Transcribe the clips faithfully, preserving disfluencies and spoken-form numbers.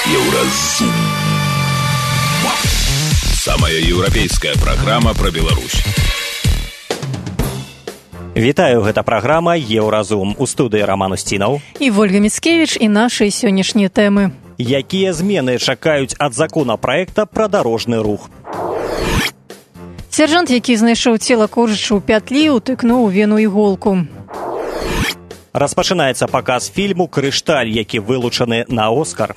Еўразум. Самая еўрапейская праграма пра Беларусь. Вітаю, гэта праграма «Еўразум». У студыі Роман Устінаў і Вольга Міцкевіч і нашыя сённяшнія тэмы. Якія змены чакаюць ад законапраекта пра дарожны рух? Сяржант, які знайшоў цела коржача ў пятлі, утыкнуў у вену іголку. Распачынаецца паказ фільму «Крышталь», які вылучаны на Оскар.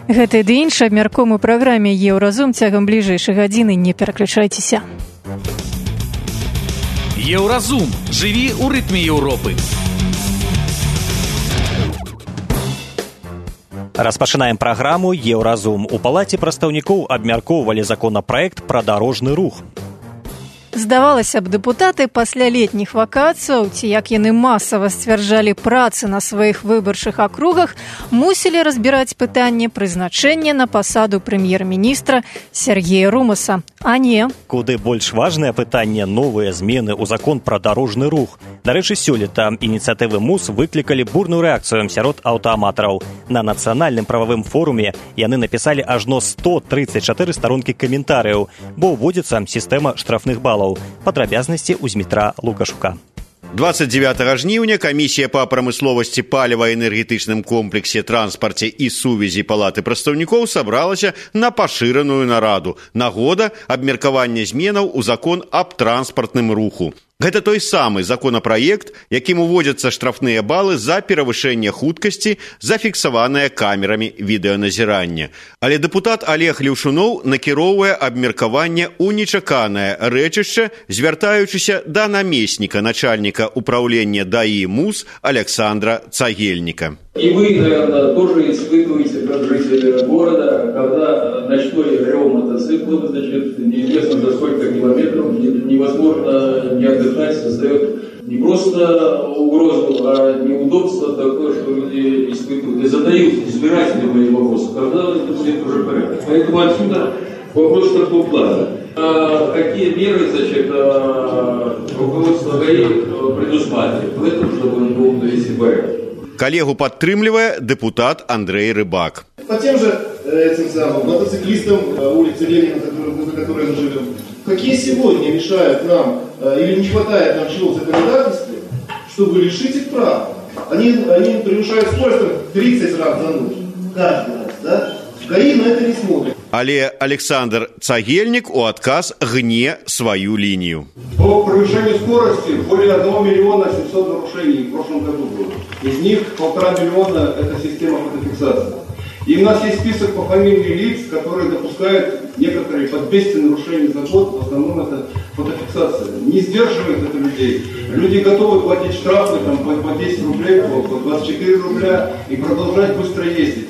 Гэта ды іншы абмяркуем у праграме «Еўразум» цягам бліжэйшай гадзіны. Не пераключайцеся. Еўразум. Жыві ў рытме Еўропы. Распачынаем праграму «Еўразум». У палаце прадстаўнікоў абмяркоўвалі законапраект пра дарожны рух. Здавалася б, дэпутаты пасля летніх вакацыяў, ці як яны масава сцвярджалі працы на сваіх выбарчых акругах, мусілі разбіраць пытанне прызначэння на пасаду прэм'ер-міністра Сергея Румаса. А не. Куды больш важнае пытанне новыя змены ў закон пра дарожны рух. Дарэчы, сёлета ініцыятывы МУС выклікалі бурную рэакцыю сярод аўтааматараў. На нацыянальным прававым форуме яны напісалі ажно сто трыццаць чатыры старонкі каментарыяў, бо ўводзіцца сістэма штрафных балаў. Падрабязнасці ў Змітра Лукашука. двадцать девятого жніўня камісія па прамысловасці, паліва-энергетычным комплексе, транспарце і сувязі палаты прадстаўнікоў сабралася на пашыраную нараду нагода абмеркавання зменаў у закон аб транспартным руху. Гэта той самы законапраект, якім уводзяцца штрафныя балы за перавышэнне хуткасці, зафіксаваныя камерамі відэаназірання. Але дэпутат Олег Леўшуноў накіроўвае абмеркаванне ў нечаканае рэчышча, звяртаючыся да намесніка начальніка управлення ДАИ МУС Александра Цагельника. И вы, наверное, тоже испытываете, как жители города, когда ночной рев мотоцикла, значит, неизвестно до сколько километров, невозможно не отдыхать, создает не просто угрозу, а неудобство такое, что люди испытывают и задают избирательные вопросы, когда это будет уже порядок. Поэтому отсюда вопрос такого плана. А какие меры, значит, руководство ГАИ предусматривает в этом, чтобы он был, если порядок? Коллегу падтрымлівае депутат Андрей Рыбак. По тем же этим самым мотоциклистам улицы Ленина, за которой мы живем, какие сегодня мешают нам или не хватает нам чего в законодательстве, чтобы лишить их прав? Они, они превышают скорость тридцать раз за ночь. Каждый раз, да? ГАИ на это не смотрит. Але Александр Цагельник у отказ гне свою линию. По превышению скорости более одного миллиона семьсот нарушений в прошлом году было. Из них полтора миллиона – это система фотофиксации. И у нас есть список по фамилии лиц, которые допускают некоторые под двести нарушений за год. В основном это фотофиксация. Не сдерживает это людей. Люди готовы платить штрафы там, по десять рублей, по двадцать четыре рубля и продолжать быстро ездить.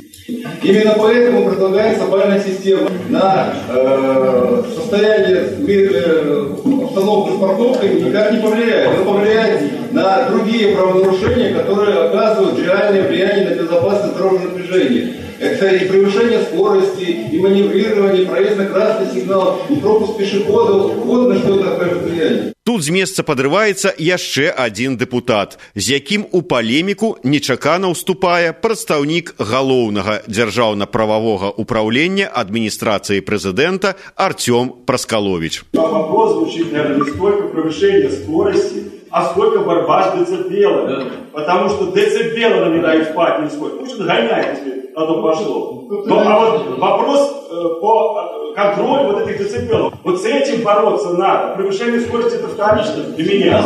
Именно поэтому предлагается бальная система на э, состояние э, обстановки с парковкой никак не повлияет. Но повлияет на другие правонарушения, которые оказывают реальное влияние на безопасность дорожного движения. Это и превышение скорости, и маневрирование, и проезд на красный сигнал, и пропуск пешеходов. Вот на что это окажет влияние. Тут з месца падрываецца яшчэ адзін дэпутат, з якім у палеміку нечакана ўступае прадстаўнік галоўнага дзяржаўна-прававога управлення адміністрацыі прэзідэнта Артём Праскалович. Вопрос звучит, наверное, не столько превышение скорости, а сколько борьба с децибелами. Да. Потому что децибелы на не спать не сколько. Пусть гоняет, если на то пошло. Но, а вот вопрос э, по контролю вот этих децибелов. Вот с этим бороться надо. Превышение скорости это вторично для меня.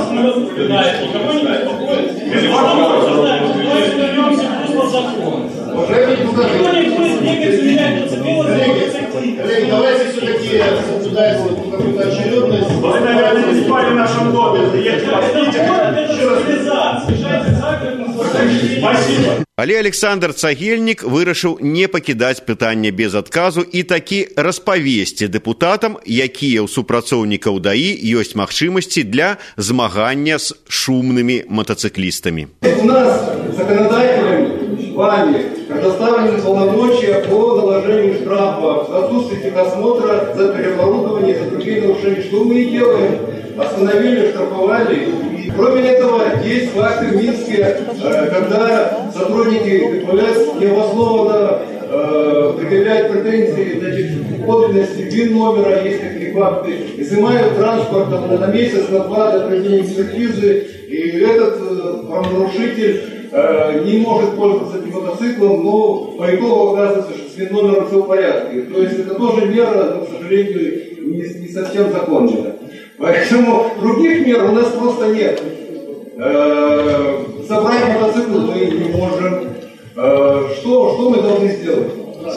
Давайте все-таки соблюдать какую-то очередность. Вы, наверное, не спали в нашем доме. Спасибо. Але Александр Цагельник вырашыў не пакідаць пытанне без адказу і такі распавесці дэпутатам, якія ў супрацоўнікаў ДАИ ёсць магчымасці для змагання з шумнымі мотоциклистами. У нас законодателям вами предоставлены полномочия по наложению штрафа за отсутствие техосмотра, за переоборудование, за другие нарушения. Что мы и делаем? Остановили, штрафовали. Кроме этого, есть факты в Минске, когда сотрудники являются необоснованно э, предъявляют претензии, значит, подлинности ВИН-номера, есть такие факты, изымают транспорт на месяц, на два до проведения экспертизы, и этот э, правонарушитель э, не может пользоваться этим мотоциклом, но по итогу оказывается, что с ВИН-номером все в порядке. То есть это тоже мера, но, к сожалению, не, не совсем законная. Поэтому других мер у нас просто нет. Э, собрать мотоцикл мы не можем. Э, что, что мы должны сделать?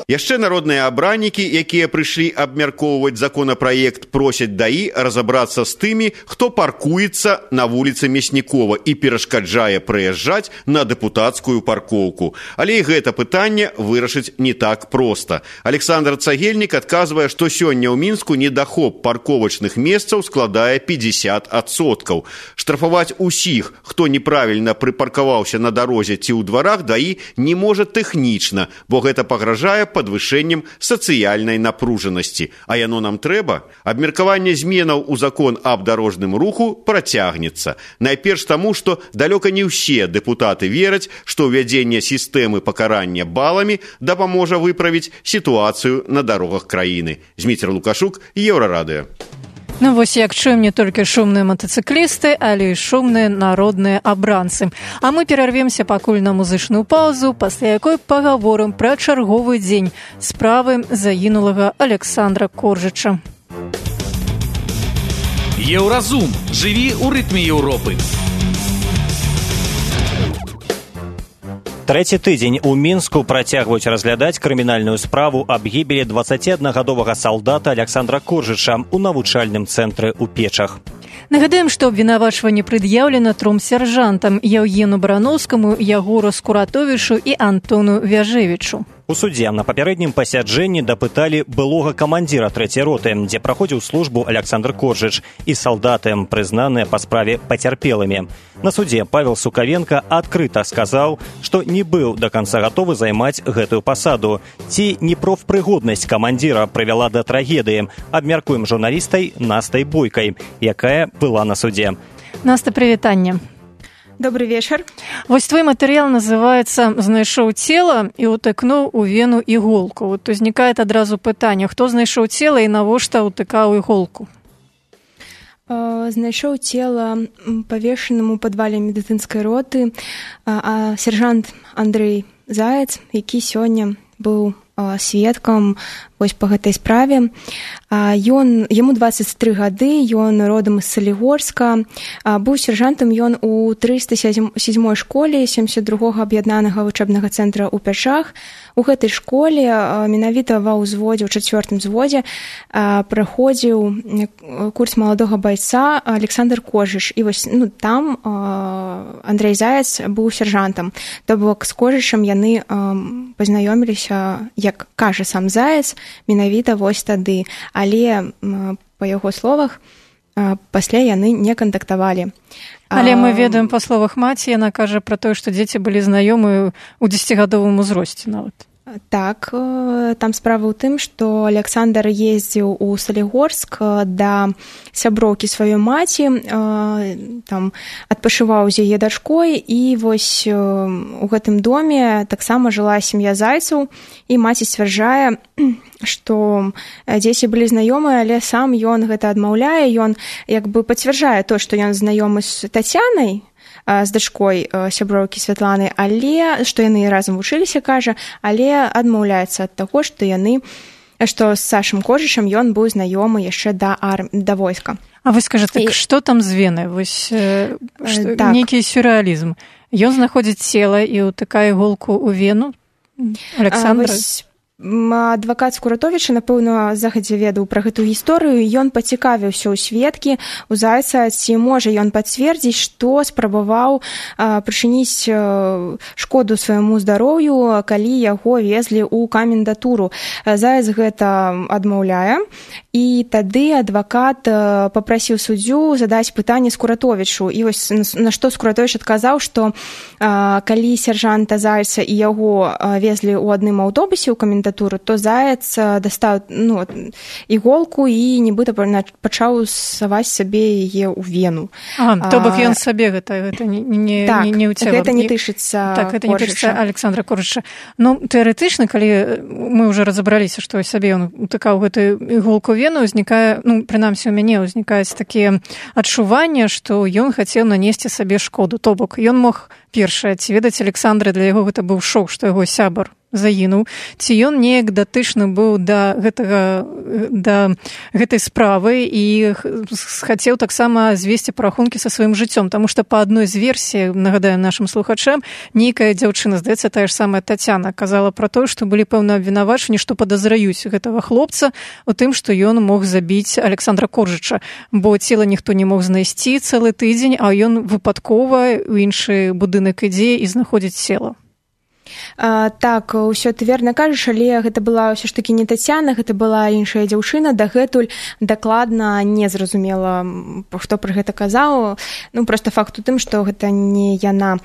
Яшчэ народныя абраннікі, якія прыйшлі абмяркоўваць законапраект, просяць даі разабрацца з тымі, хто паркуецца на вуліцы Мяснікова і перашкаджае прыязджаць на дэпутацкую паркоўку. Але і гэта пытанне вырашыць не так проста. Александр Цагельнік адказвае, што сёння ў Мінску недахоп парковачных месцаў складае пятьдесят адсоткаў. Штрафаваць усіх, хто неправільна прыпаркаваўся на дарозе ці ў дварах, даі не можа тэхнічна, бо гэта пагражае падвышэннем сацыяльнай напружанасці. А яно нам трэба? Абмеркаванне зменаў у закон аб дарожным руху працягнецца. Найперш таму, што далёка не ўсе дэпутаты вераць, што ўвядзенне сістэмы пакарання баламі дапаможа выправіць сітуацыю на дарогах краіны. Зміцер Лукашук, Еўрарадыё. Ну вось як чуем не толькі шумныя матацыклісты, але і шумныя народныя абранцы. А мы перарвемся пакуль на музычную паузу, пасля якой пагаворым пра чарговы дзень справы загінулага Александра Коржыча. Еўразум. Жыві ў рытме Еўропы. Трэці тыдзень у Мінску працягваюць разглядаць крымінальную справу аб гібелі дваццаціаднагадовага салдата Александра Коржыча ў навучальным цэнтры ў Печах. Нагадаем, што абвінавачванне прад'яўлена тром сяржантам Яўгену Барановскаму, Ягору Скуратовічу і Антону Вяжевічу. У судзе на папярэднім пасяджэнні дапыталі былога камандзіра трэцяй роты, дзе праходзіў службу Александр Коржыч, і салдаты, прызнаныя па справе пацярпелымі. На судзе Павел Сукавенко адкрыта сказаў, што не быў да канца гатовы займаць гэтую пасаду. Ці непрафпрыгоднасць камандзіра прывяла да трагедыі, абмяркуем журналістай Настай Бойкай, якая была на судзе. Наста, прывітанне. Добрый вечер. Вось твой матэрыял называецца «Знайшоў цела і ўтыкнуў у вену іголку». Вот узнікае адразу пытанне, хто знайшоў цела і навошта ўтыкаў іголку? Знайшоў цела павешаным у падвале медыцынскай роты а сержант Андрей Заяц, які сёння быў сведкам вось па гэтай справе. Ён, яму дваццаць тры гады, ён родам з Салігорска, быў сержантам ён у трыста сёмай школе семьдесят другога аб'яднанага вучэбнага цэнтра ў Пячах. У гэтай школе менавіта ва ўзводзе, у чацвёртым зводзе праходзіў курс маладога байца Александр Коржыч. І вось ну, там Андрей Заяц быў сержантам. То бок з Коржычам яны пазнаёміліся, як кажа сам Заяц, менавіта вось тады. Але, па яго словах, пасля яны не кантактавалі. Але мы ведаем па словах маці, яна кажа пра тое, што дзеці былі знаёмыя ў дзесяцігадовым узросце нават. Так, там справа ў тым, што Александр ездзіў у Салігорск да сяброўкі сваёй маці, там адпачываў з яе дачкой, і вось у гэтым доме таксама жыла сям'я Зайцаў, і маці сцвярджае, што дзеці былі знаёмыя, але сам ён гэта адмаўляе, ён як бы пацвярджае то, што ён знаёмы з Тацянай, з дачкой сяброўкі Святланы, але што яны разам вучыліся, кажа, але адмаўляецца ад таго, што яны, што з Сашам Коржычам ён быў знаёмы яшчэ да ар... да войска. А вы скажаце, так, і... што там з вены? Вось э, што, так. Нейкі сюррэалізм. Ён знаходзіць цела і ўтыкае іголку ў вену Александра. А, вось... Адвакат Скуратовіча, напэўна, загадзя ведаў пра гэтую гісторыю, ён пацікавіўся ў сведкі, у Зайца, ці можа ён пацвердзіць, што спрабаваў прычыніць шкоду свайму здароўю, калі яго везлі ў камендатуру. Заяц гэта адмаўляе, і тады адвакат папрасіў суддзю задаць пытанне Скуратовічу. І вось на што Скуратовіч адказаў, што калі сяржанта Зайца і яго везлі ў адным аўтобусе ў камендатуру, кандыдатуру, то Заяц дастаў ну, іголку і нібыта пачаў саваць сабе яе ў вену. А, то бок ён сабе гэта, гэта не, не, так, не, не ў цела. Гэта не тычыцца Так, гэта не тычыцца Александра Коржыча. Ну, тэарэтычна, калі мы ўжо разабраліся, што сабе ён утыкаў гэтую іголку вену, узнікае, ну, прынамсі у мяне ўзнікаюць такія адчуванне, што ён хацеў нанесці сабе шкоду. То бок, ён мог першае, ці ведаць Александра, для яго гэта быў шок, што яго сябар загінуў, ці ён неяк датычны быў да гэтага, да гэтай справы і хацеў таксама звесці парахункі са сваім жыццём, таму што па адной з версій, нагадаем нашым слухачам, нейкая дзяўчына, здаецца, тая ж самая Тацяна, казала пра тое, што былі пэўна абвінавачванні, што падазраюць гэтага хлопца у тым, што ён мог забіць Александра Коржыча, бо цела ніхто не мог знайсці цэлы тыдзень, а ён выпадкова ў іншы будынак ідзе і знаходзіць цела. А, так, ўсё ты верна кажаш, але гэта была ўсё ж такі не Тацяна, гэта была іншая дзяўчына, дагэтуль дакладна не зразумела, хто пра гэта казаў, ну, проста факт у тым, што гэта не яна.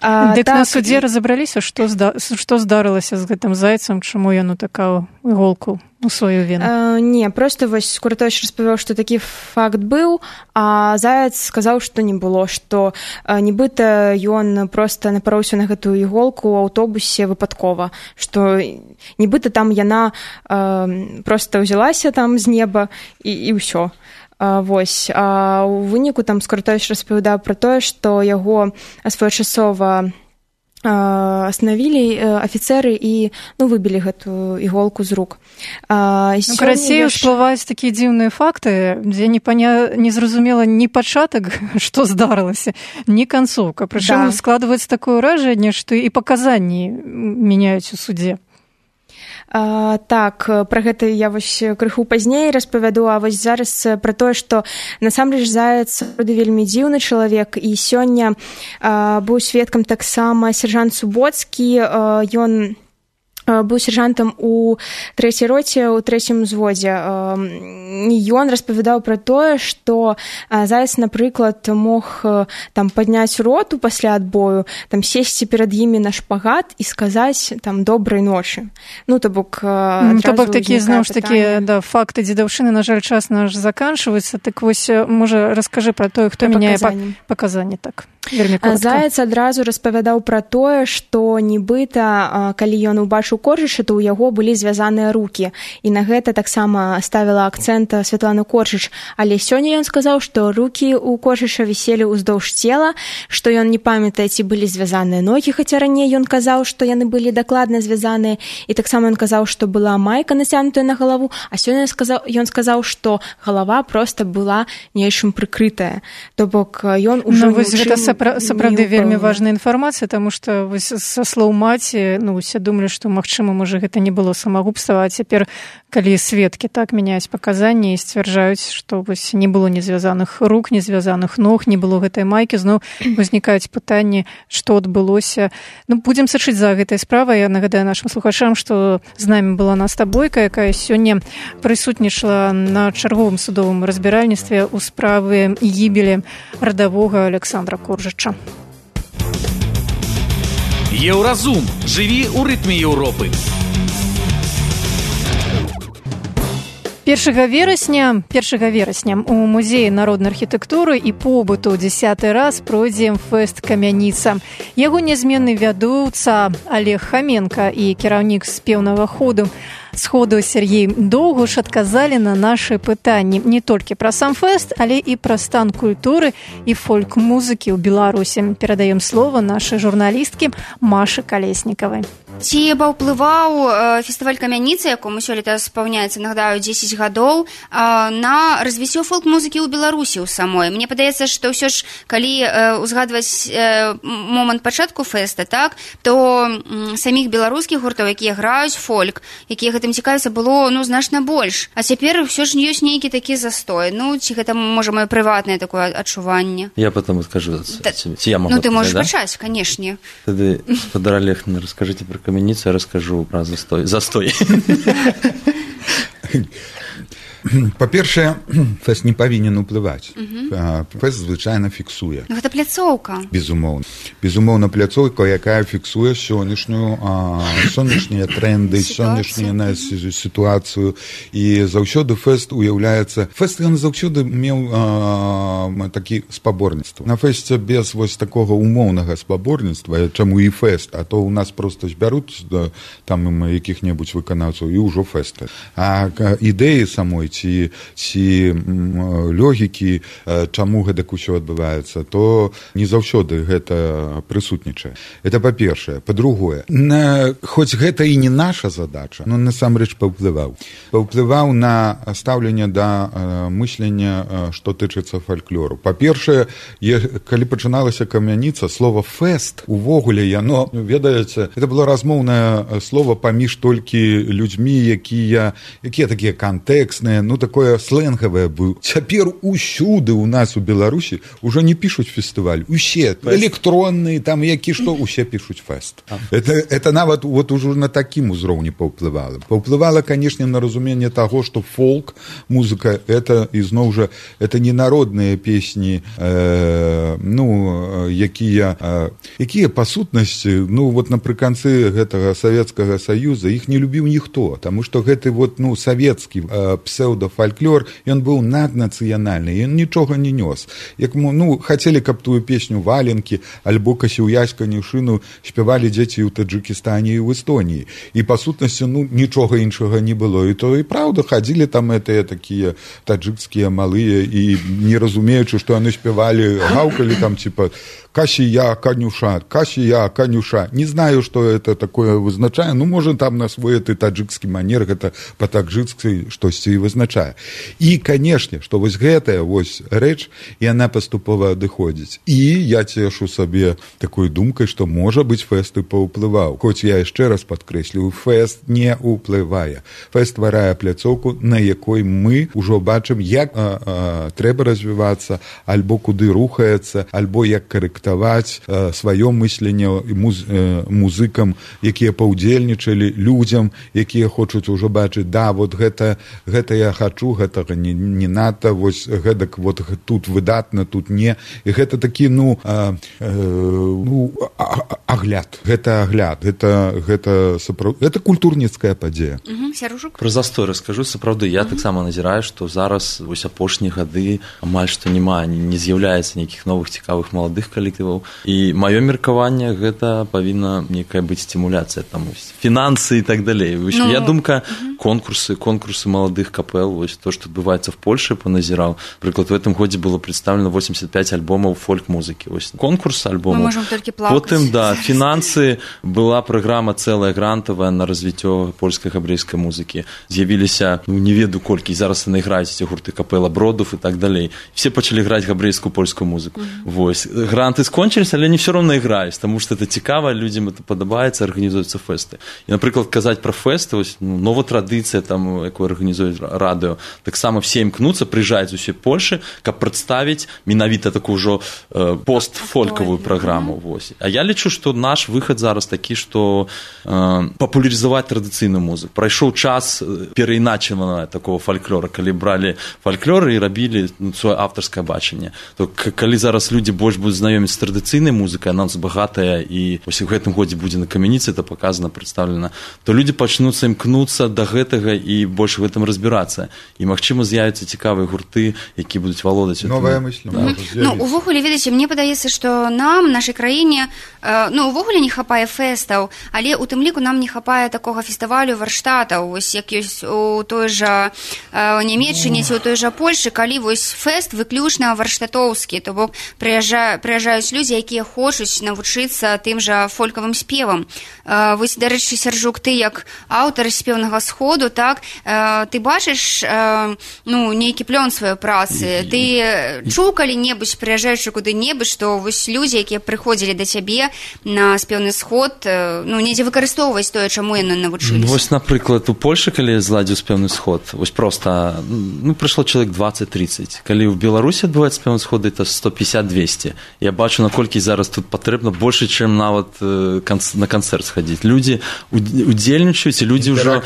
А, Дык так, на судзе разабраліся, што, зда... што здарылася з гэтым зайцам, чаму ён утыкаў іголку у сваю вену? А, не, проста вось Куртовіч распавёў, што такі факт быў, а Заяц сказаў, што не было, што а, нібыта ён проста напароўся на гэтую іголку ў аўтобусе выпадкова, што нібыта там яна а, проста ўзялася там з неба і, і ўсё. А, вось. А ў выніку там Куртовіч распавядаў пра тое, што яго своечасова остановілі афіцеры і ну, выбілі гэтую іголку з рук. А, ну, карацей, яш... усплываюць такія дзіўныя факты, дзе не, паня... не зразумела ні пачатак, што здарылася, ні канцоўка. Прычым да. Складваецца такое ўражанне, што і паказанні мяняюць у судзе. А, так, пра гэта я вось крыху пазней распавяду, а вось зараз пра тое, што насамрэч Заяц вельмі дзіўны чалавек, і сёння а, быў сведкам таксама сержант Суботскі, а, ён быў сержантам у трэцяй роце, у трэцім узводзе. Ён распавядаў пра тое, што Заяц, напрыклад, мог там падняць роту пасля адбою, там сесці перад імі на шпагат і сказаць там добрай ночы. Ну, то бок адразу то бок такія зноў ж такі да, факты дзедаўшчыны, на жаль, час наш заканчваецца. Так вось, можа, раскажы пра тое, хто мяняе паказанні, так. Заяц адразу распавядаў пра тое, што нібыта, калі ён убачыў Коржыча, то ў яго былі звязаныя рукі. І на гэта таксама ставіла акцэнт Святлана Коржыч. Але сёння ён сказаў, што рукі ў Коржыча віселі ўздоўж цела, што ён не памятае, ці былі звязаныя ногі, хаця раней ён казаў, што яны былі дакладна звязаныя. І таксама ён казаў, што была майка нацягнутая на галаву, а сёння ён сказаў, што галава проста была нечым прыкрытая. То бок ён ужо ну, вось гэта сапра... сапраўды вельмі важная інфармацыя, таму што вось са слоў маці, ну, усе думалі, што магчыма, можа, гэта не было самагубства, а цяпер, калі сведкі так мяняюць паказанні і сцвярджаюць, што вось не было незвязаных рук, незвязаных ног, не было гэтай майкі, зноў узнікаюць пытанні, што адбылося. Ну, будзем сачыць за гэтай справай. Я нагадаю нашым слухачам, што з намі была Наста Бойка, якая сёння прысутнічала на чарговым судовым разбіральніцтве ў справы гібелі радавога Александра Коржыча. Еўразум. Жыві ў рытме Еўропы. першага верасня першага верасня у музеі народнай архітэктуры і побыту дзясяты раз пройдзе фэст «Камяніца». Яго нязменны вядоўца Олег Хаменка і кіраўнік спеўнага ходу сходу Сергей Доўгуш адказалі на нашы пытанні не толькі пра сам фэст, але і пра стан культуры і фольк-музыкі ў Беларусі. Перадаем слова нашай журналісткі Машы Калеснікавай. Ці паўплываў фестываль «Камяніца», якому сёлета спаўняецца, нагадаю, дзесяць гадоў, на развіццё фолк-музыкі ў Беларусі ў самой? Мне падаецца, што ўсё ж, калі узгадваць момант пачатку фэста, так, то саміх беларускіх гуртоў, якія граюць фольк, якія гэтым цікавяцца, было ну, значна больш. А цяпер ўсё ж ёсць нейкі такі застой. Ну, ці гэта, можа, маё прыватнае такое адчуванне? Я потом скажу. Та... Я могу ну, ты можаш да? пачаць, канешне. Тады, Федор Олег, расскажите про «Камяницу», я расскажу про застой. Застой. Па-першае, фэст не павінен уплываць. Uh-huh. Фэст звычайна фіксуе. Ну, гэта пляцоўка. Безумоўна. Безумоўна, пляцоўка, якая фіксуе сённяшнюю, сённяшнія тренды, сённяшнюю сітуацыю. І заўсёды фэст уяўляецца... Фэст, ён заўсёды меў а, такі спаборніцтва. На фэсце без вось такога умоўнага спаборніцтва, чаму і фэст, а то ў нас проста збяруць там якіх-небудзь выканаўцаў і ўжо фэсты. А ідэі самой ці, ці логікі, чаму гэтак усё адбываецца, то не заўсёды гэта прысутнічае. Это па-першае. Па-другое, на, хоць гэта і не наша задача, но насамрэч паўплываў. Паўплываў на стаўленне да мыслення, што тычыцца фальклору. Па-першае, калі пачыналася камяніца, слова «фэст» увогуле, яно, ведаеце, это было размоўнае слова паміж толькі людзьмі, якія, якія такія кантэксныя, ну, такое слэнгавае быў. Цяпер усюды у нас у Беларусі ўжо не пішуць фестываль. Усе электронныя, там, які што, усе пішуць фэст. Это, это нават вот ужо на такім узроўні паўплывала. Паўплывала, канешне, на разуменне таго, што фолк, музыка, это, ізноў жа, это не народныя песні, э, ну, якія, э, якія па сутнасці, ну, вот напрыканцы гэтага Савецкага Саюза, іх не любіў ніхто, таму што гэты вот, ну, савецкі э, псеўдафальклор, ён быў наднацыянальны, ён нічога не нёс. Як, ну, хацелі, каб тую песню «Валенкі» альбо «Касіўясь канюшыну» спявалі дзеці ў Таджыкістане і ў Эстоніі. І, па сутнасці, ну, нічога іншага не было. І то і праўда, хадзілі там гэтыя такія таджыкскія малыя і не разумеючы, што яны спявалі, гаўкалі там, типа, «Касія, канюша, касія, канюша». Не знаю, што это такое вызначае. Ну, можа, там на свой этой таджыкскі манер гэта па-таджыкскі штосьці і вызначае. І, канешне, што вось гэтая вось рэч, яна паступова адыходзіць. І я цешу сабе такой думкай, што, можа быць, фэст і паўплываў. Хоць я яшчэ раз падкрэслю, фэст не ўплывае. Фэст стварае пляцоўку, на якой мы ўжо бачым, як а, а, трэба развівацца, альбо куды рухаецца, альбо як карэктаваць а, сваё мысленне муз, а, музыкам, якія паўдзельнічалі, людзям, якія хочуць ужо бачыць, да, вот гэта, гэта я хачу, гэтага не, не надо, вось гэтак вот тут выдатна, тут не. І гэта такі, ну, а, а, ну а, агляд. Гэта агляд. Гэта, гэта, сапраў... гэта культурніцкая падзея. Угу, Сяружук? Про застой раскажу. Сапраўды, я угу. таксама назіраю, што зараз вось апошнія гады амаль што няма, не з'яўляецца нейкіх новых цікавых маладых калектываў. І маё меркаванне, гэта павінна некая быць стимуляцыя, там, фінансы і так далей. Вось, ну, я думка, угу. конкурсы, конкурсы маладых капел, вось то, што адбываецца в Польше, поназіраў. Прыклад, в этом годзе было представлено восемьдесят пять альбомаў фольк-музыкі. Вось конкурс альбомаў. Мы можем толькі плакаць. Потым, да, фінансы, была праграма цэлая грантавая на развіццё польскай габрэйскай музыкі. З'явіліся, ну, не ведаю колькі, зараз яны граюць ці гурты капела Бродов і так далей. Все пачалі граць габрэйскую польскую музыку. Mm-hmm. Вось. Гранты скончыліся, але не все равно іграюць, таму што это цікава, людзям это падабаецца, арганізуюцца фэсты. І, напрыклад, казаць пра фэсты, вось, ну, нова традыцыя, там, якую арганізуюць радыё, таксама все імкнуцца, прыязджаюць з усёй Польшы, каб прадставіць менавіта такую ўжо э, постфолькавую праграму. Вось. А я лічу, што наш выхад зараз такі, што э, папулярызаваць традыцыйную музыку. Прайшоў час перайначаванага такого фальклора, калі бралі фальклор і рабілі, ну, сваё аўтарскае бачанне. То, калі зараз людзі больш будуць знаёміць з традыцыйнай музыкай, она нас багатая, і вось у гэтым годзе будзе на камяніцы это паказана, прадстаўлена, то людзі пачнуцца імкнуцца да гэтага і больш в гэтым разбірацца. І, магчыма, з'явяцца цікавыя гурты, які будуць валодаць. Новая мысль. Да. Ну, увогуле, ведаеце, мне падаецца, што нам, нашай краіне, э, ну, увогуле не хапае фэстаў, але у тым ліку нам не хапае такога фестывалю варштатаў, вось як ёсць у той жа э, Нямецчыне ці у той жа Польшы, калі вось фэст выключна варштатоўскі, то бок прыязджа, прыязджаюць людзі, якія хочуць навучыцца тым жа фолькавым спевам. Э, вось, дарэчы, Сяржук, ты як аўтар спеўнага сходу, так, э, ты бачыш э, ну, нейкі плён сваёй працы, ты чуў калі-небудзь, прыязджаючы куды-небудзь, што вось людзі, якія прыходзілі да цябе на спеўны сход, ну, недзе выкарыстоўваць тое, чаму яны навучыліся? Вось, напрыклад, у Польшы, калі я зладзіў спеўны сход, вось проста, ну, прыйшло чалавек двадцать-тридцать. Калі ў Беларусі адбываецца спеўны сход, это сто пятьдесят двести. Я бачу, наколькі зараз тут патрэбна больше, чым нават на канцэрт схадзіць. Людзі удзельнічаюць, і людзі ўжо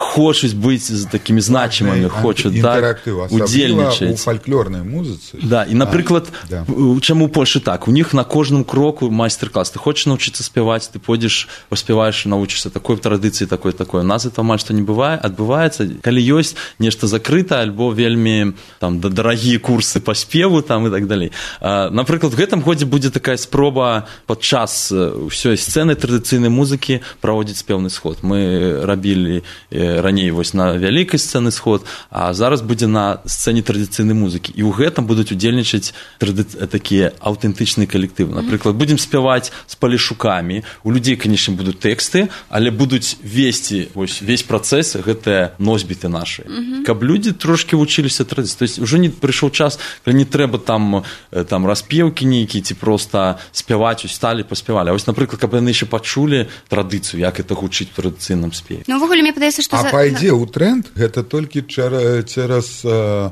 хочуць быць такімі значимымі, хочуць так удзельнічаць. У фальклорнай музыцы. Да, і, напрыклад, а, да. Чаму у Польшы так? У них на кожным кроку майстар-клас. Ты хочаш навучыцца спяваць, ты пойдзеш, паспяваеш, навучышся такой традыцыі, такой, такой. У нас это амаль што не бывае, адбываецца, калі ёсць нешта закрыта, альбо вельмі там дарагія курсы па спеву там і так далей. А, напрыклад, в гэтым годзе будзе такая спроба падчас ўсёй сцэны традыцыйнай музыкі праводзіць спеўны сход. Мы рабілі раней вось на вялікай сцэны сход, а зараз будзе на сцэне традыцыйнай музыкі. І ў гэтым будуць удзельнічаць трады... такія аўтэнтычныя калектывы. Напрыклад, будзем спяваць з палешукамі. У людзей, канешне, будуць тэксты, але будуць весці вось весь працэс гэтыя носьбіты нашы. Mm-hmm. Каб людзі трошкі вучыліся традыцыі. То есть уже не прыйшоў час, калі не трэба там, там распеўкі нейкія ці проста спяваць, усталі, паспявалі. А вось, напрыклад, каб яны яшчэ пачулі традыцыю, як это гучыць в традыцыйным спеве. Ну, ўвогуле, мне падаецца, што... А за... пайдзе ў тренд, гэта толькі цераз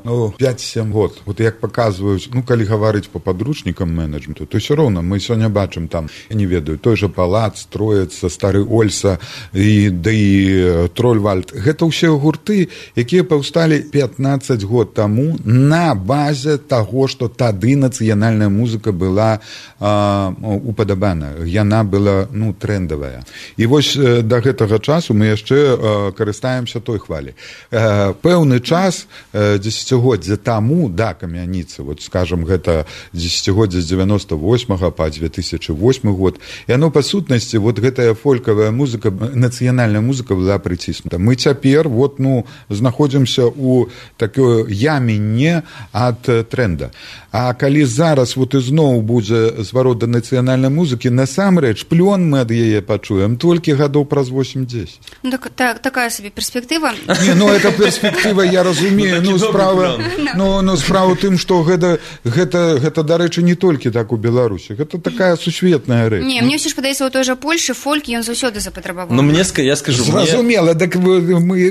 ну, пяць-сем год. Вот як паказваюць, ну, калі гаварыць по падручнікам менеджменту, то ўсё роўна мы сёння бачым там, я не ведаю, той жа Палац, Троіца, Стары Ольса і да і Трольвальд. Гэта ўсе гурты, якія паўсталі пятнаццаць год таму на базе таго, што тады нацыянальная музыка была а, упадабана. Яна была, ну, трендавая. І вось да гэтага часу мы яшчэ а, карыстаемся той хвалі. А, пэўны час а, дзесяцігоддзя таму да Камяніцы, вот скажем, гэта дзесяцігоддзя з дзевяноста восьмага па две тысячы восьмы год. Яно па сутнасці вот гэтая фолькавая музыка, нацыянальная музыка была прыціснута. Мы цяпер вот ну знаходзімся у такой яме не ад тренда. А калі зараз вот ізноў будзе зварот да нацыянальнай музыкі, насамрэч плён мы ад яе пачуем толькі гадоў праз восемь-дзесяць. Ну, так, так, такая сабе перспектыва. Не, ну это перспектыва, я разумею, ну справа, ну, ну справа ў тым, што гэта гэта гэта дарэчы не толькі так у Беларусі. Гэта такая сусветная рэч. Не, мне ўсё ж падаецца, у той жа Польшы фольк ён заўсёды запатрабаваў. Ну мне я скажу, зразумела, так мы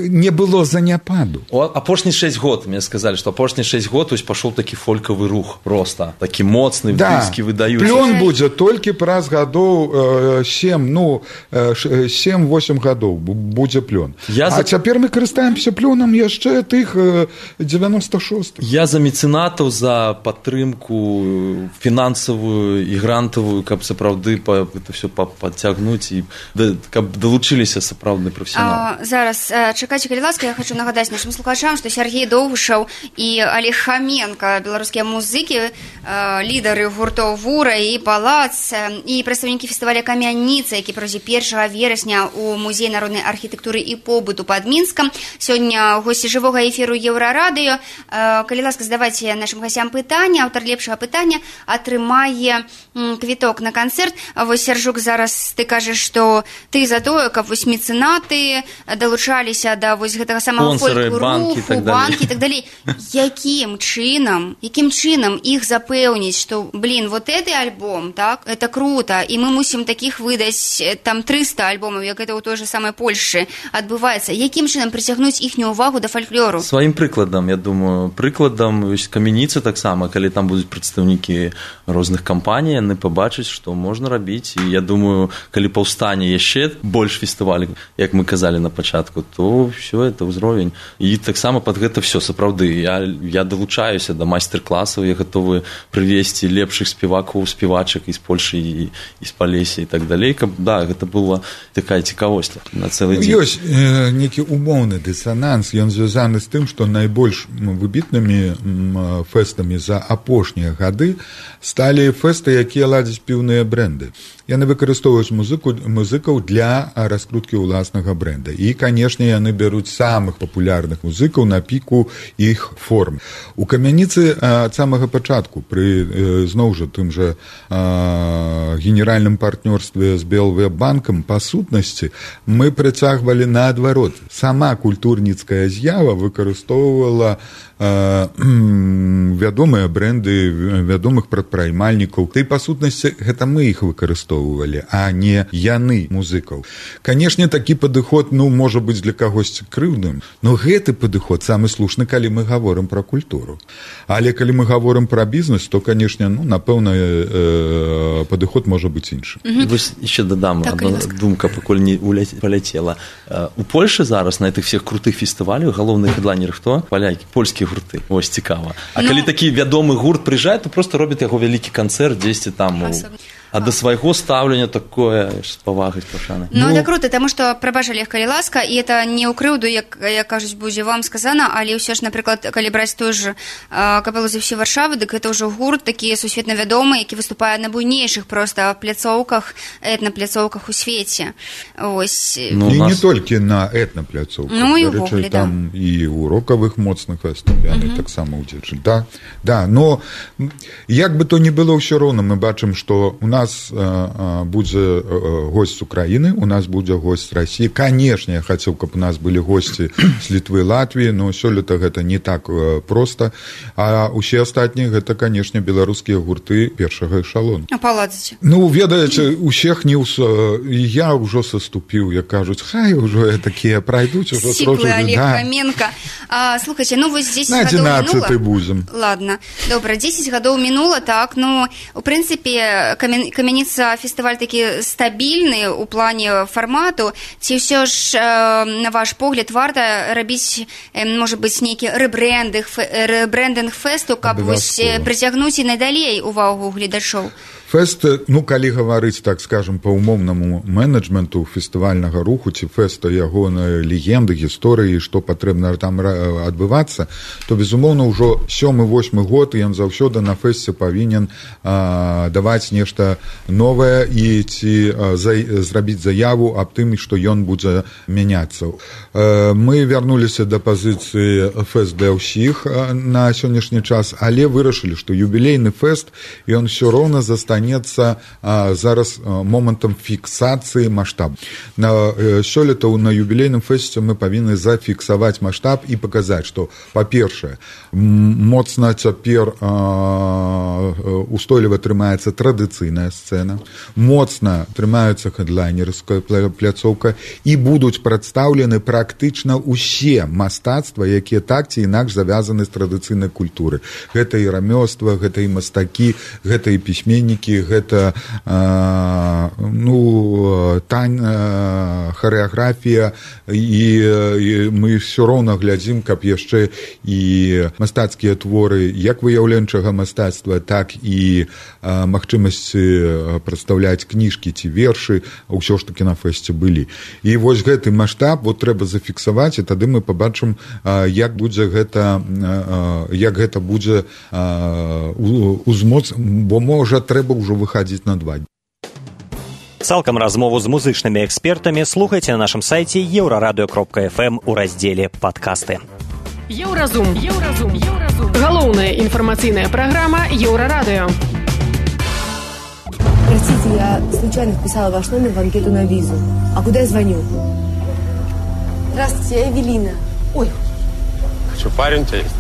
не было заняпаду. Апошні шэсць год мне сказалі, што апошні шэсць год вось пашоў такі фолькавы рух просто, такі моцны, да. Дыскі выдаюць. Плён будзе толькі праз гадоў сем, ну сем-восемь гадоў будзе плён. Я а за... цяпер мы карыстаемся плёнам яшчэ тых девяносто шостых. Я за мецэнатаў, за падтрымку фінансавую і грантавую, каб сапраўды па, это все падцягнуць і да, каб далучыліся сапраўдны прафесіяналы. Зараз чакайце, калі ласка, я хочу нагадаць нашим слухачам, што Сергей Доўгушаў і Олег Хаменко, беларускія музыкі, лідары гуртоў Вура і Палац, і прадстаўнікі фестываля Камяніца, які пройдзе першага верасня у музеі народнай архітэктуры і побыту пад Мінскам. Сёння госці жывога эфіру Еўрарадыё. Калі ласка, задавайце нашим гасцям пытанне. Аўтар лепшага пытання атрымае квіток на канцэрт. Вось, Сяржук, зараз ты кажаш, што ты за тое, каб вось мецэнаты далучаліся да вось гэтага самага фольк-руху, банкі і так далей. Якім чынам, якім чынам іх запэўніць, што, блин, вот гэты альбом, так, это круто, і мы мусім такіх выдаць там трыста альбомаў, як гэта ў той же самай Польшы адбываецца. Якім чынам прыцягнуць іхнюю увагу да фальклору? Сваім прыкладам, я думаю, прыкладам Камяніцы таксама, калі там будуць прадстаўнікі розных кампаній, яны пабачаць, што можна рабіць. І я думаю, калі паўстане яшчэ больш фестывалей, як мы казалі на пачатку, то все это ўзровень. І таксама пад гэта все сапраўды. Я, я далучаюся да майстар-класаў, я гатовы прывесці лепшых спевакоў, спевачак і з Польшы і, і з Палесі і так далей, каб да, гэта была такая цікавосць на цэлы дзень. Ёсць э, нейкі умоўны дысананс, ён звязаны з тым, што найбольш выбітнымі фэстамі за апошнія гады сталі фэсты, якія ладзяць піўныя бренды. Яны выкарыстоўваюць музыку, музыкаў для раскруткі ўласнага бренда. І, канешне, яны бяруць самых папулярных музыкаў на піку іх форм. У Камяніцы ад самага пачатку, пры зноў жа тым жа генеральным партнёрстве з Белвебанкам, па сутнасці, мы прыцягвалі наадварот. Сама культурніцкая з'ява выкарыстоўвала вядомыя бренды вядомых прадпрымальнікаў. Ты, па сутнасці, гэта мы іх выкарыстоўвалі, а не яны музыкаў. Канешне, такі падыход, ну, можа быць для кагосьці крыўдным, но гэты падыход самы слушны, калі мы гаворым пра культуру. Але калі мы гаворым пра бізнес, то, канешне, ну, напэўна, э, падыход можа быць іншы. Mm-hmm. Вось яшчэ дадам, так, адна думка, пакуль не паляцела. У Польшы Польши зараз на этих всех крутых фестывалях галоўныя хедлайнеры хто? Палякі, польскія гурты. Вось цікава. А ну... калі такі вядомы гурт прыязджае, то просто робяць яго вялікі канцэрт дзесьці там у... А до свайго стаўлення такое з павагай пашаны. Ну, это круто, таму што, прабач, Олег, калі ласка, і это не ў крыўду, як, як кажуць, будзе вам сказана, але ўсё ж, напрыклад, калі браць той же капелу «За всю Варшаву», дык гэта ўжо гурт такі сусветна вядомы, які выступае на буйнейшых проста пляцоўках, этнапляцоўках у свеце. Ось. Ну, і нас... не толькі на этнапляцоўках. Ну, і ўвогуле, да. Там і ў рокавых моцных фестывалях uh-huh. таксама удзельнічалі. Да, да, но як бы то ні было, ўсё роўна мы бачым, што у нас У нас э, будзе э, госць з Украіны, у нас будзе госць з Расіі. Канешне, я хацеў, каб у нас былі госці з Літвы, Латвіі, но сёлета гэта не так э, проста. А ўсе астатнія гэта, канешне, беларускія гурты першага эшалону. А паладзіце? Ну, ведаеце, усіх не ўс... я ўжо саступіў, як кажуць, хай ўжо такія прайдуць. Сіклы, Олег да. Хаменко. А, слухайце, ну вось дзесяць гадоў мінула. На адзінаццаты будзем. Ладно, добра, дзесяць гадоў мінула, так, ну, у прынцыпе, камен камяніца фестываль такі стабільны ў плане фармату, ці ўсё ж, на ваш погляд, варта рабіць, можа быць, нейкі рэбрэндынг, рэбрэндынг фэсту, каб вось прыцягнуць і надалей увагу гледачоў? Фэст, ну, калі гаварыць, так скажем, па умоўнаму менеджменту фестывальнага руху, ці фэста ягоныя легенды, гісторыі, што патрэбна там адбывацца, то, безумоўна, ўжо сёмы-восьмы год ён заўсёды на фэсце павінен а, даваць нешта новае і ці а, за, зрабіць заяву аб тым, што ён будзе мяняцца. А, мы вярнуліся да пазіцыі фэст для ўсіх а, на сённяшні час, але вырашылі, што юбілейны фэст, ён усё роўна застанецца а, зараз а, момантам фіксацыі маштабу. На сёлета на юбілейным фэсце мы павінны зафіксаваць маштаб і паказаць, што, па-першае, моцна цяпер а, устойліва трымаецца традыцыйная сцэна, моцна трымаецца хедлайнерская пляцоўка і будуць прадстаўлены практычна ўсе мастацтва, якія так ці інакш завязаны з традыцыйнай культуры. Гэта і рамёства, гэта і мастакі, гэта і пісьменнікі, гэта э, ну, тань, э, харэаграфія і, і мы ўсё роўна глядзім, каб яшчэ і мастацкія творы як выяўленчага мастацтва, так і э, магчымасці прадстаўляць кніжкі ці вершы, ўсё ж такі на фэсце былі. І вось гэты маштаб вот трэба зафіксаваць, і тады мы пабачым, э, як будзе гэта э, як гэта будзе э, узмоц, бо можа трэба ўжо выхадзіць на два. Цалкам размову з музычнымі экспертамі слухайце на нашым сайце еўрарадыё кропка эф эм у раздзеле «Падкасты». Еўразум. Еўразум. Еўразум. Галоўная информационная программа Еврорадио. Простите, я случайно вписала ваш номер в анкету на визу. А куда я звоню? Здравствуйте, я Эвелина. Ой. Что, парень у тебя есть?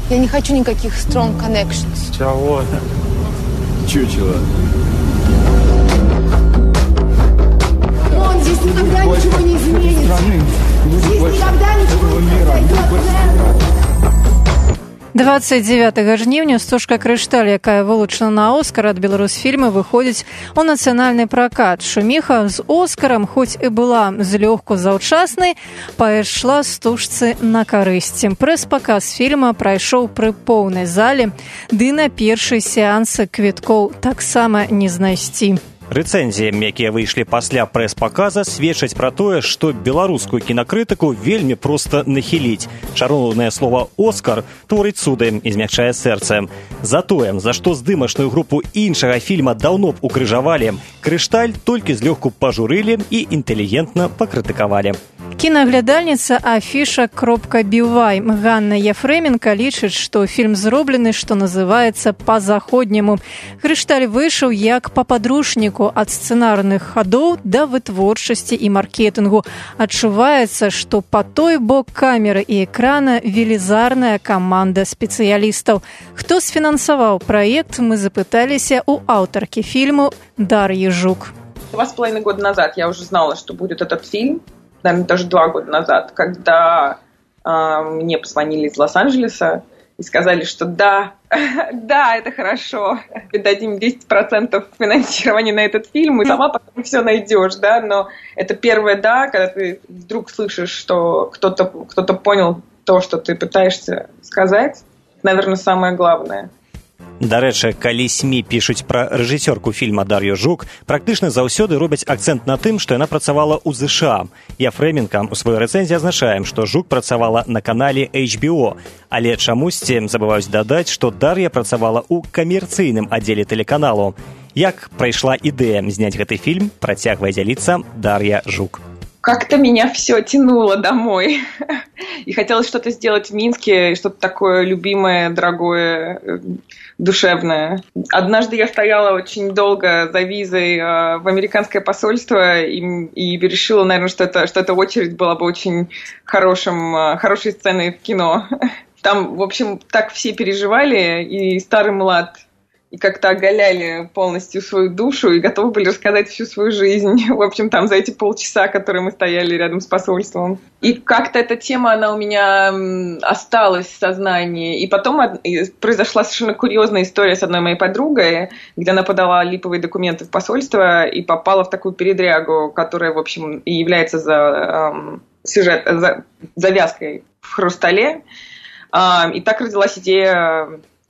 Я не хочу никаких strong connections. Чего? Чучело. Он здесь никогда ничего не изменится. Здесь никогда ничего не произойдет. двадцать девятага жніўня стужка «Крышталь», якая вылучана на Оскар ад Беларусфільма, выходзіць у нацыянальны пракат. Шуміха з Оскарам, хоць і была злёгку заўчаснай, пайшла стужцы на карысць. Прэс-паказ фільма прайшоў пры поўнай зале, ды на першай сеансы квіткоў таксама не знайсці. Рэцэнзіі, якія выйшлі пасля прэс-паказа, сведчаць пра тое, што беларускую кінакрытыку вельмі проста нахіліць. Чароўнае слова «Оскар» творыць цуды і змякчае сэрца. Затое, за што здымачную групу іншага фільма даўно б укрыжавалі, «Крышталь» толькі злёгку пажурылі і інтэлігентна пакрытыкавалі. Кінаглядальніца афіша кропка бівай Ганна Ефременко лічыць, што фільм зроблены, што называецца, па-заходняму. «Крышталь» выйшаў як па падручніку ад сцэнарных хадоў да вытворчасці і маркетынгу. Адчуваецца, што па той бок камеры і экрана велізарная каманда спецыялістаў. Хто сфінансаваў праект, мы запыталіся у аўтаркі фільму Дар'і Жук. Два с половиной года назад я уже знала, что будет этот фильм. Наверное, даже два года назад, когда э, мне позвонили из Лос-Анджелеса и сказали, что да, да, это хорошо, дадим десять процентов финансирования на этот фильм, и сама потом все найдешь, да, но это первое «да», когда ты вдруг слышишь, что кто-то, кто-то понял то, что ты пытаешься сказать, наверное, самое главное. Дарэчы, калі СМІ пішуць пра рэжысёрку фільма Дар'ю Жук, практычна заўсёды робяць акцэнт на тым, што яна працавала ў ЗША. Я Фрэмінка у сваёй рэцэнзіі азначаем, што Жук працавала на канале эйч би о, але чамусьці забываюць дадаць, што Дар'я працавала ў камерцыйным аддзеле тэлеканалу. Як прайшла ідэя зняць гэты фільм, працягвае дзяліцца Дар'я Жук. Как-то меня все тянуло домой. И хотелось что-то сделать в Минске, что-то такое любимое, дорогое, душевное. Однажды я стояла очень долго за визой в американское посольство и, и решила, наверное, что, это, что эта очередь была бы очень хорошим, хорошей сценой в кино. Там, в общем, так все переживали, и старый млад, и как-то оголяли полностью свою душу и готовы были рассказать всю свою жизнь. В общем, там за эти полчаса, которые мы стояли рядом с посольством. И как-то эта тема, она у меня осталась в сознании. И потом произошла совершенно курьезная история с одной моей подругой, где она подала липовые документы в посольство и попала в такую передрягу, которая, в общем, и является за, эм, сюжет, за, завязкой в «Хрустале». Эм, и так родилась идея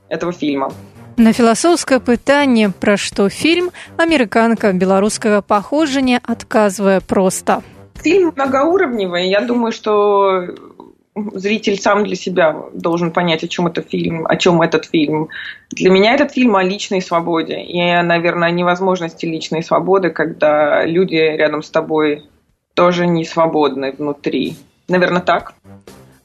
этого фильма. На філасофскае пытанне, пра што фільм, амерыканка беларускага паходжання адказвае проста. Фильм многоуровневый. Я думаю, что зритель сам для себя должен понять, о чем это фильм, о чем этот фильм. Для меня этот фильм о личной свободе. И, наверное, о невозможности личной свободы, когда люди рядом с тобой тоже не свободны внутри. Наверное, так.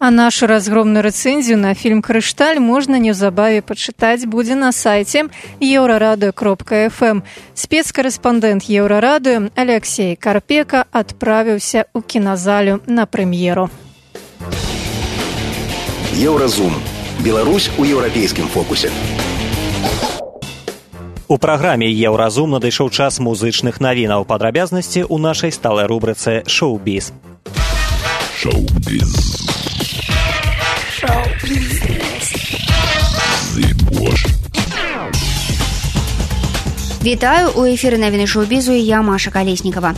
А нашу разгромную рэцэнзію на фільм «Крышталь» можна неўзабаве пачытаць будзе на сайце еўрарадыё кропка эф эм. Спецкарэспандэнт еўрарадыё Алексей Карпека адправіўся ў кіназалю на прэм'еру. Еўразум. Беларусь у еўрапейскім фокусе. У праграме «Еўразум» надышоў час музычных навінаў. Падрабязнасці ў нашай сталай рубрыцы «Шоу-біз». Шоу-біз. Вітаю, у эфіры навіны шоу-бізу і я, Маша Калеснікава.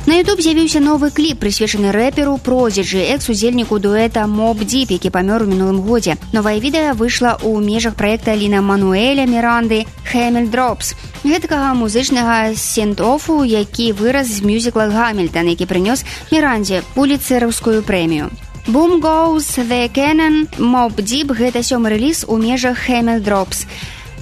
На YouTube з'явіўся новы кліп, прысвечаны рэперу Продиджи, экс-удзельніку дуэта Mobb Deep, які памёр у мінулым годзе. Новае відэа выйшла ў межах праекта Лин-Мануэля Миранды «Hamel Drops», гэтакага музычнага сент-офу, які вырас з мюзікла «Гамільтон», які прынёс Миранде пуліцэраўскую прэмію. Boom Goes the Cannon, Mobb Deep – гэта сёмы рэліз у межах Hamel Drops.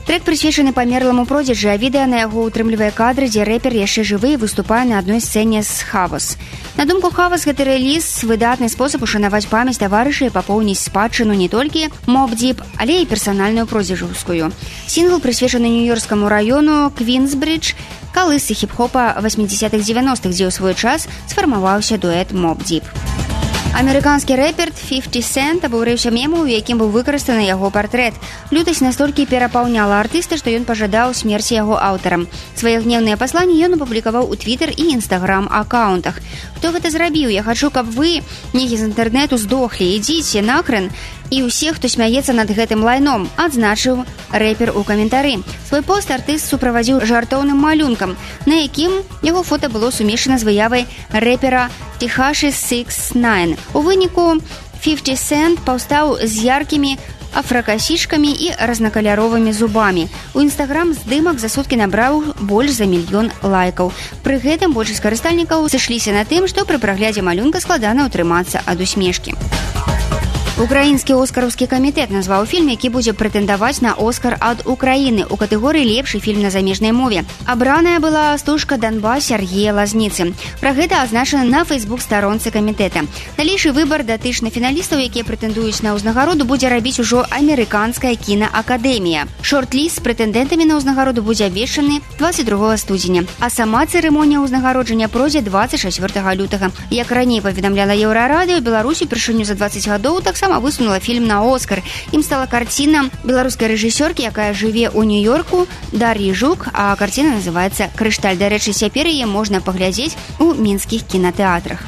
Трек прысвечаны памерламу Продиджи, а відэа на яго ўтрымлівае кадры, дзе рэпер яшчэ жывы і выступае на адной сцэне з Хавас. На думку Хавас, гэты рэліз – выдатны спосаб ушанаваць памяць таварыша і папоўніць спадчыну не толькі Mobb Deep, але і персанальную продзіжаўскую. Сінгл прысвечаны нью-йоркскаму раёну Квінсбридж, калысы хіп-хопа восьмидесятых-девяностых, дзе ў свой час сфармаваўся дуэт Mobb Deep. Амерыканскі рэпер фіфці Cent абурыўся мемам, у якім быў выкарыстаны яго партрэт. Лютасць настолькі перапаўняла артыста, што ён пажадаў смерці яго аўтарам. Свае гневныя пасланні ён апублікаваў у Твіттер і Інстаграм акаунтах. Хто гэта зрабіў? Я хачу, каб вы, некі з інтэрнэту, здохлі. Ідзіце нахрен. І ўсе, хто смяецца над гэтым лайном, адзначыў рэпер у каментары. Свой пост артыст суправадзіў жартоўным малюнкам, на якім яго фота было сумешана з выявай рэпера Техаши шэсць дзевять. У выніку фіфці Cent паўстаў з яркімі афракасішкамі і разнакаляровымі зубамі. У Інстаграм здымак за суткі набраў больш за мільён лайкаў. Пры гэтым большасць карыстальнікаў сышліся на тым, што пры праглядзе малюнка складана ўтрымацца ад усмешкі. Украінскі оскараўскі камітэт назваў фільм, які будзе прэтэндаваць на Оскар ад Украіны ў катэгорыі «Лепшы фільм на замежнай мове». Абраная была стужка «Донбас» Сергея Лазніцы. Пра гэта азначана на фэйсбук-старонцы камітэта. Далейшы выбар датычны фіналістаў, якія прэтэндуюць на ўзнагароду, будзе рабіць ужо амерыканская кінаакадэмія. Шорт-ліст з прэтэндэнтамі на ўзнагароду будзе абвешчаны дваццаць другога студзеня, а сама цырымонія ўзнагароджання пройдзе дваццаць чацвёртага лютага. Як раней паведамляла Еўрарадыё, Беларусь упершыню за дваццаць гадоў таксама сама высунула фільм на Оскар. Ім стала карціна беларускай рэжысёркі, якая жыве ў Нью-Йорку, Дар'і Жук, а карціна называецца «Крышталь». Дарэчы, цяпер яе можна паглядзець у мінскіх кінатэатрах.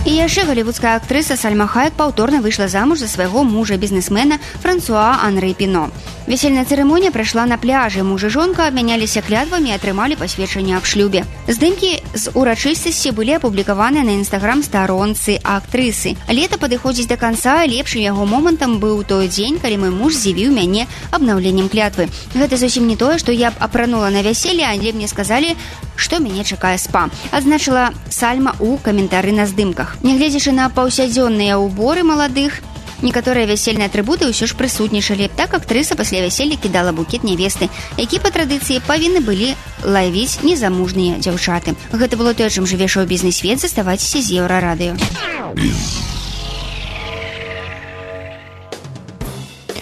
І яшчэ галівудская актрыса Сальма Хайек паўторна выйшла замуж за свайго мужа-бізнесмена Франсуа Анры Піно. Весельная цырымонія прайшла на пляжы. Муж і жонка абмяняліся клятвамі і атрымалі пасведчанне аб шлюбе. Здымкі з урачыстасці былі апублікаваныя на інстаграм-старонцы актрысы. Лета падыходзіць да канца, лепшым яго момантам быў той дзень, калі мой муж здзівіў мяне абнаўленнем клятвы. Гэта зусім не тое, што я б апранула на вяселле, але мне сказалі, што мяне чакае спа, адзначыла Сальма ў каментары на здымках. Нягледзячы на паўсядзённыя ўборы маладых, некаторыя вясельныя атрыбуты ўсё ж прысутнічалі. Так актрыса пасля вяселля кідала букет нявесты, які па традыцыі павінны былі лавіць незамужныя дзяўчаты. Гэта было тое, чым жыве шоу-бізнес-свет. Заставайцеся з Еўрарадыё.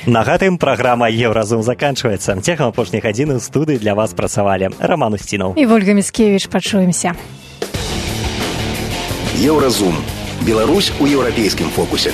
На гэтым праграма «Еўразум» заканчваецца. Цягам апошніх гадзін у студыі для вас працавалі Роман Устінаў і Вольга Міцкевіч. Пачуемся. Еўразум. Беларусь у еўрапейскім фокусе.